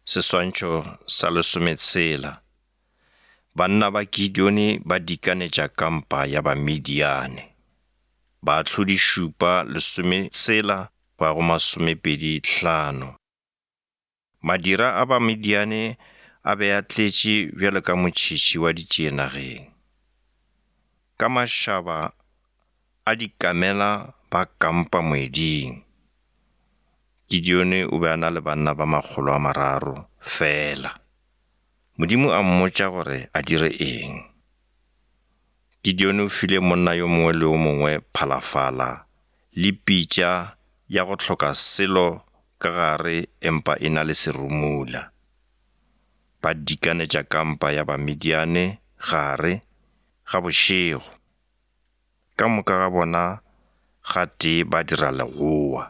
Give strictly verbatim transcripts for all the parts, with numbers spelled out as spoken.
Seswantšho sa lesometshela. Banna ba Gideoni ba dikanetša kampa ya Bamidiane. Baahlodi šupa lesometshela go ya go masomepedi hlano. Madira a Bamidiane a be a tletše bjalo ka motšhitšhi wa ditšie nageng. Ka mašaba a dikamela ba kampa moeding. Gideoni o be a na le banna ba makgolo a mararo fela. Modimo a mmotša gore a dire eng. Gideoni o file monna yo mongwe le yo mongwe phalafala le pitša ya go hloka selo ka gare empa e na le serumula. Ba dikanetša kampa ya Bamidiane gare ga bošego. Ka moka ga bona gatee ba dira legoa.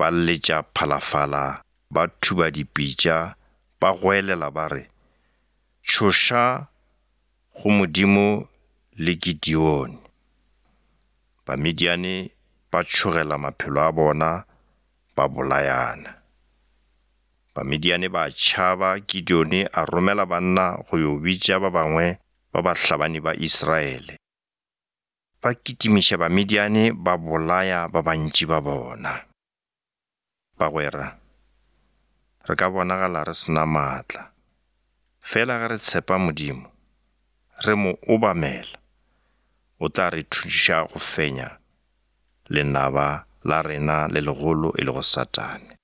Ba letša phalafala, ba thuba dipitša, ba goelela ba re, Tšhoša go Modimo le Gideoni. Bamidiane ba tšhogela maphelo a bona, ba bolayana. Bamidiane ba tšhaba, Gideoni a romela banna go yo bitša ba bangwe ba bahlabani ba Israele. Ba kitimiša Bamidiane ba bolaya ba bantši ba bona. Bagwera, re ka bonagala re se na maatla. Fela ge re tshepa Modimo, re mo obamela, o tla re thuša go fenya lenaba la rena le legolo e lego Satane.